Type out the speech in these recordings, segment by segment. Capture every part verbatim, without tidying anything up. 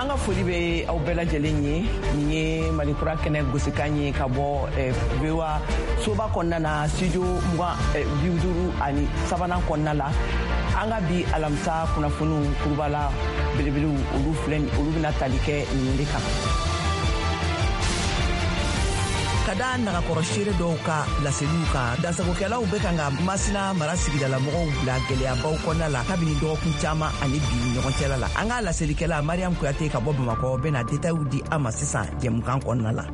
An ka foli bɛ aw bɛɛ lajɛlen ye. Nin ye Malikura kɛnɛ gosikan ye ka bɔ V O A soba kɔnɔna na, studio mugan bi duuru ani sabanan kɔnɔna la. An ka bi alamisa kunnafoniw kurubala belebelew, olu filɛ, olu bɛna tali kɛ ninnu de kan. Ka da nagakɔrɔ seere dɔw ka laseliw kan, dansagokɛlaw bɛ kan ka Masina mara sigidalamɔgɔw bila gwɛlɛyabaw kɔnɔna la kabini dɔgɔkun caaman ani bi ni ɲɔgɔn cɛla la. An ka laselikɛla Mariam Kuyate ka bɔ Bamakɔ bena detayiw di an ma sisan jɛmukan kɔnɔna la.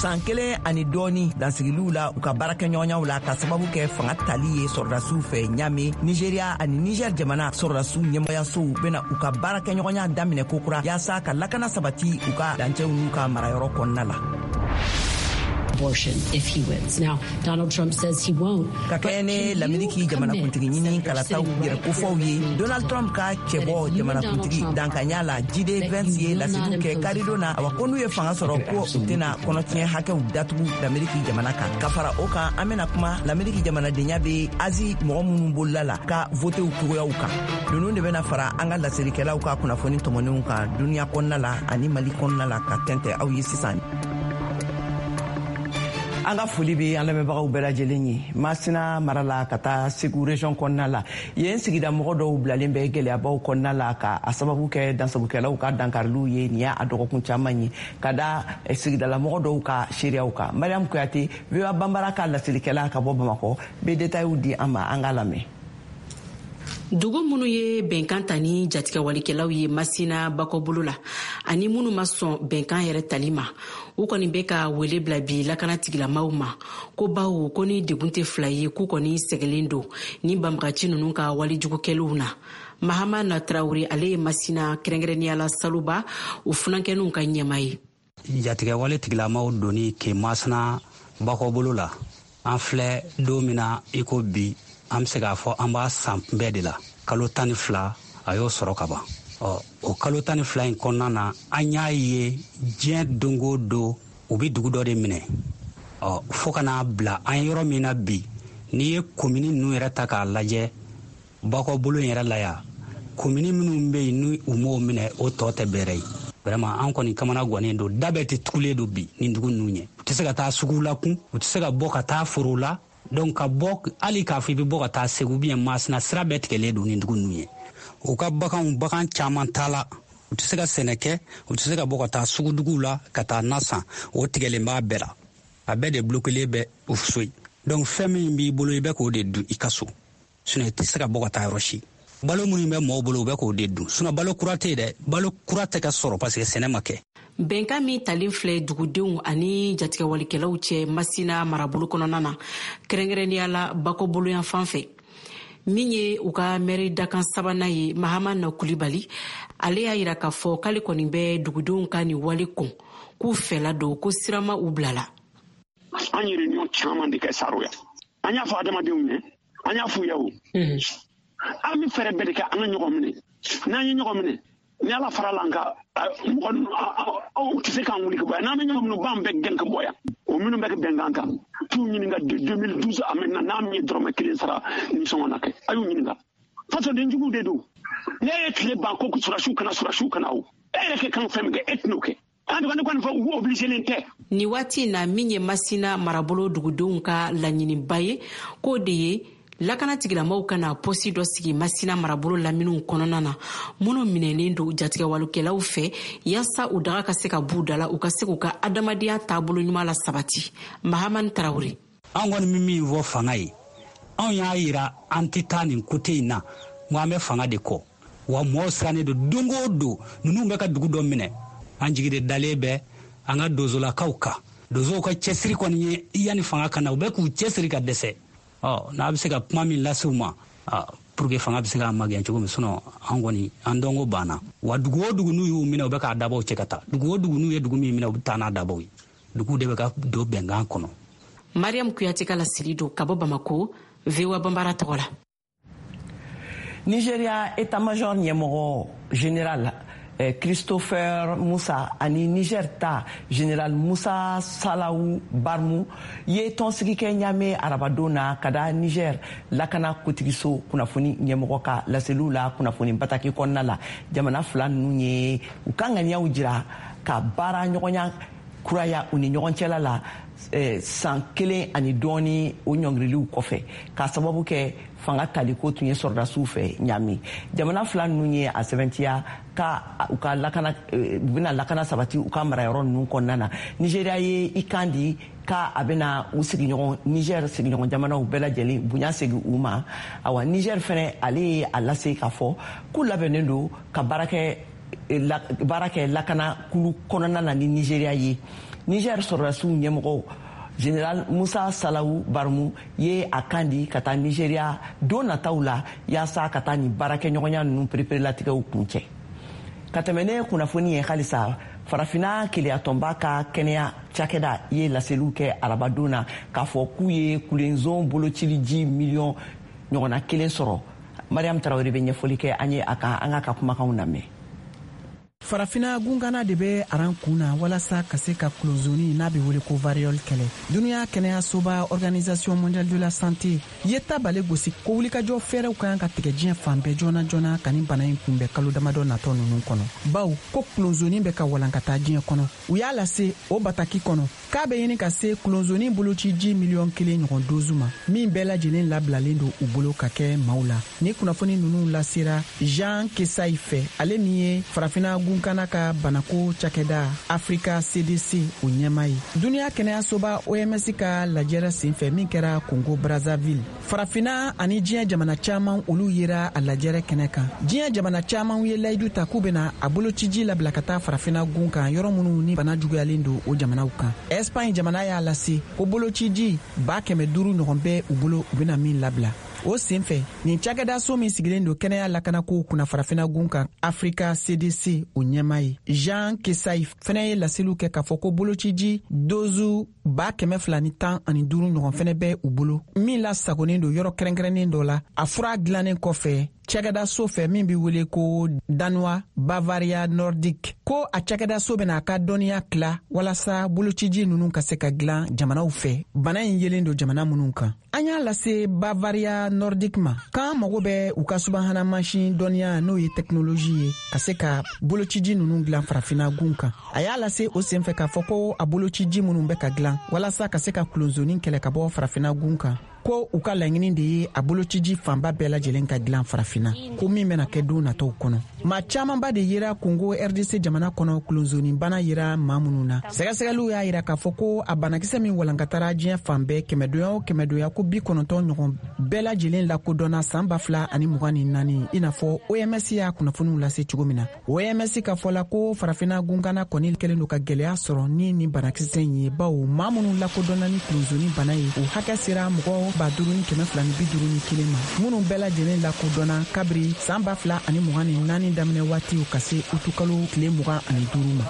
San kelen ani dɔɔni dansigiliw la u ka baarakɛɲɔgɔnyaw la, ka sababu kɛ fanga tali ye sɔrɔdasiw fɛ Ɲame, Nigeriya ani Niger jamana sɔrɔdasiw ɲɛmɔgɔyasow bena u ka baarakɛɲɔgɔnya daminɛ kokura, yaasa ka lakana sabati u ka dancɛw n'u ka marayɔrɔ kɔnɔna la. Abortion if he wins. Now, Donald Trump says he won't. Ka kɛɲɛ ni Lameriki jamanakuntigi ɲini kalataw yɛrɛ kofɔw ye, Donald Trump ka cɛbɔ jamanakuntigi dankanya la, J D Vance, ye laseliw kɛ karidon na, awa, ko n'u ye fanga sɔrɔ, ko u tɛna kɔnɔtiɲɛ hakɛw datugu Lameriki jamana kan. Ka fara o kan, an bena kuma Lameriki jamanadenya be Azi mɔgɔ minnu bolila la ka votew cogoyaw kan. Ninnu de bena fara an ka laselikɛlaw ka kunnafoni tɔmɔnenw kan duniɲa kɔnɔna la ani Mali kɔnɔna la, ka tɛntɛ aw ye sisan. An ka foli bɛ an lamɛnbagaw bɛɛ lajɛlen ye. Masina mara la ka taa Segu région kɔnɔna la, yen sigida mɔgɔ dɔw bilalen bɛ gɛlɛyabaw kɔnɔna la, ka a sababu kɛ dansagokɛlaw ka dankariliw ye. Nin y'a dɔgɔkun caman ye, ka da sigidalamɔgɔ dɔw ka seereyaw kan. Mariam Kuyate, V O A Banbara ka laselikɛla ka bɔ Bamakɔ, bɛ detayiw di an ma. An k'a lamɛn. Dugu minnu ye bɛnkan ta ni jatigɛwalikɛlaw ye Masina bakɔbolo la, ani minnu ma sɔn bɛnkan yɛrɛ tali ma, u kɔni bɛ ka wele bila bi lakana tigilamaw ma, ko bawo ko ni degun tɛ fila ye, k'u kɔni sɛgɛlen don ni banbagaci ninnu ka walejugukɛliw na. Mahama na Tarawure, ale ye Masina, kɛrɛnkɛrɛnnenya la Saluba, o funankɛninw ka ɲɛma ye. Jatigɛwale tigilamaw donni ke Masina bakɔbolo la, an filɛ don min na i ko bi, an be se k'a fɔ an b'a san bɛɛ de la. Kalo tan ni fila a y'o sɔrɔ ka ban. Ɔ, o kalo tan ni fila in kɔnɔna na, an y'a ye diɲɛ don o don u be dugu dɔ de minɛ, ɔ, fɔɔ ka n'a bila an yɔrɔ min na bi. N'i ye komini ninnu yɛrɛ ta k'a lajɛ bakɔbolo in yɛrɛ la yan, komini minnu be yen ni u m'o minɛ, o tɔ tɛ bɛrɛ ye. Vraiment, an kɔni kamana gannen don, da bɛɛ tɛ tugulen don bi ni dugu ninnu ɲɛ. U tɛ se ka taa sugu la kun, u tɛ se ka bɔ ka taa foro la. Donc ka bɔ, hali k'a fɔ i bɛ bɔ ka taa Segu bien Masina, sira bɛɛ tigɛlen don ni dugu ninnu ye. U ka baganw, bagan caman t'a la, u tɛ se ka sɛnɛ kɛ, u tɛ se ka bɔ ka taa suguduguw la ka taa na san, o tigɛlen b'a bɛɛ la. A bɛɛ de bloquelen bɛ u so ye. Donc fɛn min b'i bolo, i bɛ k'o de dun i ka so, sinon i tɛ se ka bɔ ka taa yɔrɔ si. Balo minnu bɛ mɔgɔw bolo, u bɛ k'o de dun, sinon balo kura tɛ yen dɛ, balo kura tɛ ka sɔrɔ parce que sɛnɛ ma kɛ. Bɛnkan min talen filɛ dugudenw ani jatigɛwalikɛlaw cɛ Masina marabolo kɔnɔna na, kɛrɛnkɛrɛnnenya la bakɔboloyan fan fɛ, min ye u ka mɛri dakan sabanan ye, Mahama na Kulibali, ale y'a yira k'a fɔ k'ale kɔni bɛ dugudenw ka nin wale kɔn, k'u fɛla don, ko sirama u bilala. An ye réunion caman de kɛ Saroya. An y'a fɔ adamadenw ye, an y'a f'u ye, o an bɛ fɛɛrɛ bɛɛ de kɛ an ka ɲɔgɔn minɛ. N'an ye ɲɔgɔn minɛ, ni Ala fara la, an ka mɔgɔ aw tɛ se k'an wuli ka bɔ yan. N'an bɛ ɲɔgɔn minɛ, u b'an bɛɛ gɛn ka bɔ yan. O minnu bɛ kɛ bɛnkan kan, t'u ɲininka de deux mille douze à maintenant, n'a min ye dɔrɔmɛ kelen sara nisɔngɔ na kɛ, a y'u ɲininka. Fasoden juguw de don. Ne ye tile ban ko surasiw kana, surasiw kana, o e yɛrɛ kɛ kan fɛn min kɛ, e tɛn'o kɛ. En tout cas, ne kɔni fɔ, u obligé tɛ. Nin waati in na, min ye Masina marabolo dugudenw ka laɲiniba ye, k'o de ye lakana tigilamaw ka na pɔsi dɔ sigi Masina marabolo laminiw kɔnɔna na, minnu minɛnen don jatigɛwalekɛlaw fɛ, yaasa u daga ka se ka b'u da la, u ka se k'u ka adamadenya taabolo ɲuman la sabati. Mahamani Tarawure. An kɔni bɛ min fɔ fanga ye, anw y'a yira an tɛ taa nin kote in na, n ko an bɛ fanga de kɔ. Wa mɔgɔw sirannen don, don o don ninnu bɛ ka dugu dɔ minɛ. An jigi de dalen bɛ an ka dozolakaw kan. Donsow ka cɛsiri kɔni ye yanni fanga ka na, u bɛ k'u cɛsiri ka dɛsɛ. Ɔ, n'a bɛ se ka kuma min lase u ma pour que fanga bɛ se k'a magɛn cogo min, sinon an kɔni an dɔnko banna. Wa dugu o dugu n'u y'u minɛ, u bɛ k'a dabaw cɛ ka taa. Dugu o dugu n'u ye dugu min minɛ, u bɛ taa n'a dabaw ye. Dugu de bɛ ka don bɛnkan kɔnɔ. Mariam Kuyate ka laseli don ka bɔ Bamako, V O A Banbara tɔgɔ la. Nigeria état-major ɲɛmɔgɔ général Christopher Musa ani Niger ta General Musa Salawu Barmu ye tɔnsigi kɛ Ɲame arabadon na ka da Niger lakana kotigiso kunnafoni ɲɛmɔgɔ ka laseliw la kunnafoni bataki kɔnɔna la. Jamana fila ninnu ye u ka ŋaniyaw jira ka baara ɲɔgɔnya kuraya u ni ɲɔgɔn cɛla la san kelen ani dɔɔni o ɲɔngiriliw kɔfɛ, k'a sababu kɛ fanga taliko tun ye sɔrɔdasiw fɛ Ɲame. Jamana fila ninnu ye a sɛbɛntiya ka u ka lakana, u bɛna lakana sabati u ka marayɔrɔ ninnu kɔnɔna na. Nigéria ye i kan di k'a a bɛna u sigiɲɔgɔn Niger sigiɲɔgɔn jamanaw bɛɛ lajɛlen bonya segin u ma. Awa Niger fɛnɛ ale ye a lase k'a fɔ k'u labɛnnen don ka baara kɛ baara kɛ lakana kulu kɔnɔna na ni Nigéria ye. Niger sɔrɔdasiw ɲɛmɔgɔw General Musa Salawu Barmu ye a kan di ka taa Nigéria don nataw la yaasa ka taa nin baarakɛɲɔgɔnya ninnu pereperelatigɛw kuncɛ. Ka tɛmɛ ne kunnafoni ye halisa, Farafinna keleyatɔnba ka kɛnɛya cakɛda ye laseliw kɛ arabadon na k'a fɔ k'u ye kulenzon bolociliji miliyɔn ɲɔgɔnna kelen sɔrɔ. Mariam Tarawele bɛ ɲɛfɔli kɛ an ye a kan, an k'a ka kumakanw lamɛn. Farafina gungana de bɛ aran kun na walasa ka se ka kulozoni n'a bɛ wele ko variole kɛlɛ. Dunuya kɛnɛyasoba Organisation mondiale de la santé ye tabale gosi ko wulikajɔ fɛɛrɛw ka kan ka tigɛ diɲɛ fan bɛɛ joona joona ka nin bana in kunbɛn kalo damadɔ natɔ ninnu kɔnɔ, bawo ko kulozoni bɛ ka walankata diɲɛ kɔnɔ. U y'a lase o bataki kɔnɔ k'a bɛ ɲini ka se kulozoni bolociji miliyɔn kelen ɲɔgɔn dozu ma, min bɛɛ lajɛlen labilalen don u bolo ka kɛ maaw la. Ni kunnafoni ninnu lasera Jean Kesayi fɛ, ale min ye Farafina gunkana ka banako cakɛda Africa C D C o ɲɛmaa ye. Duniya kɛnɛyasoba O M S ka lajɛrɛ senfɛ min kɛra Congo Brazzaville, Farafina ani diɲɛ jamana caman olu yera a lajɛrɛ kɛnɛ kan. Diɲɛ jamana caman ye layidu ta k'u bɛna a bolociji labila ka taa Farafina gun kan, yɔrɔ minnu ni bana juguyalen don o jamanaw kan. Espagne jamana y'a lase ko bolociji ba kɛmɛ duuru ɲɔgɔn bɛ u bolo, u bɛna min labila. O senfɛ, nin cakɛdaso min sigilen don kɛnɛya lakanakow kunna Farafina gun kan Africa C D C o ɲɛmaa ye Jean Kesayi fɛnɛ ye laseliw kɛ k'a fɔ ko bolociji dozu ba kɛmɛ fila ni tan ani duuru ɲɔgɔn fɛnɛ bɛ u bolo, min lasagonnen don yɔrɔ kɛrɛnkɛrɛnnen dɔ la a fura dilannen kɔfɛ cakɛdaso fɛ min bɛ wele ko Danois Bavaria Nordique. Ko a cakɛdaso bɛna a ka dɔnniya tila walasa bolociji ninnu ka se ka dilan jamanaw fɛ, bana in yelen don jamana minnu kan. An y'a lase Bavaria Nordique ma k'an mago bɛ u ka subahana mansin dɔnniya n'o ye tɛkinoloji ye ka se ka bolociji ninnu dilan Farafina gun kan. A y'a lase o senfɛ k'a fɔ ko a bolociji minnu bɛ ka dilan walasa ka se ka kulonzoni kɛlɛ ka bɔ Farafina gun kan, ko u ka laɲini de ye a bolociji fanba bɛɛ lajɛlen ka dilan Farafina, ko min bɛna kɛ don nataw kɔnɔ. Maa camanba de yera Congo R D C jamana kɔnɔ kulonzoni bana yera maa minnu na. Sɛgɛsɛgɛliw y'a yira k'a fɔ ko a banakisɛ min walankatara diɲɛ fan bɛɛ kɛmɛdonya o kɛmɛdonya ko bi kɔnɔntɔn ɲɔgɔn bɛɛ lajɛlen lakodɔnna san ba fila ani mugan ni naani, i n'a fɔ O M S y'a kunnafoniw lase cogo min na. O M S ka fɔ la ko Farafina gunkana kɔni kɛlen don ka gɛlɛya sɔrɔ ni nin banakisɛ in ye, bawo maa minnu lakodɔnna ni kulonzoni bana ye o hakɛ sera mɔgɔ ba duuru ni kɛmɛ fila ni bi duuru ni kelen ma, minnu bɛɛ lajɛlen lakodɔnna kabiri san ba fila ani mugan ni naani daminɛ waatiw ka se utukalo tile mugan ani duuru ma.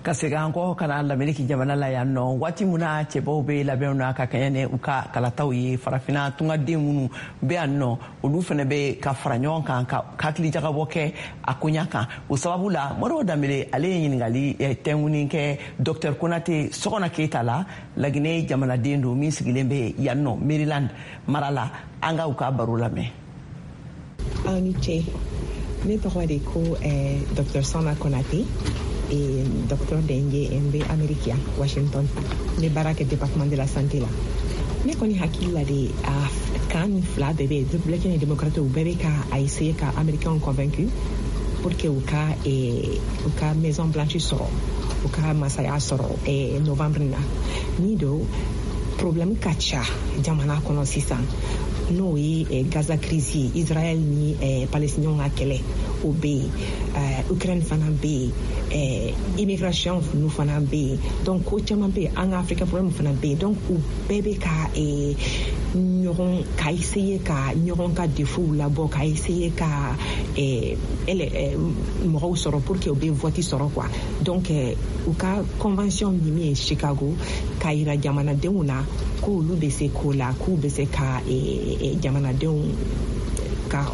Ka segin an kɔ ka na Lameriki jamana la yan nɔ, waati min na cɛbaw bɛ labɛnw na ka kɛɲɛ ni u ka kalataw ye, Farafina tungaden minnu bɛ yan nɔ olu fana bɛ ka fara ɲɔgɔn kan ka hakilijagabɔ kɛ a koɲa kan. O sababu la Modibo Danbele ale ye ɲininkali tɛnkuni kɛ Docteur Konate Sɔgɔna Keyita la, Laginɛ jamanaden don min sigilen bɛ yan nɔ Maryland mara la. An ka u ka baro lamɛn. Aw ni ce, ne tɔgɔ de ko eh, Docteur Sɔgɔna Konate et docteur Dengue n bɛ Amérique yan, Washington. Ne baara kɛ département de la santé la. Ne kɔni hakili la de a kan ni fila bɛɛ bɛ républicain ni démocrate u bɛɛ bɛ ka a essayer ka américain convaincu pour que u ka eh, u ka Maison Blanche sɔrɔ, u ka masaya sɔrɔ eh, novembre na. Ni do problème ka ca jamana kɔnɔ sisan, n'o ye eh, Gaza crise ye, Israël ni eh, Palestiniens ka kɛlɛ o bɛ yen, Ukraine fana bɛ yen, eh, immigration ninnu fana bɛ yen, donc ko caman bɛ yen, an ka Africa problème fana bɛ yen, donc u bɛɛ bɛ ka eh, ɲɔgɔn ka essayer ka ɲɔgɔn ka défaut labɔ, ka essayer ka eh, eh, mɔgɔw sɔrɔ pour que u bɛ vote sɔrɔ quoi. Donc eh, u ka convention min ye Chicago k'a yira jamanadenw na k'olu bɛ se ko la, k'u bɛ se ka eh, jamanadenw ka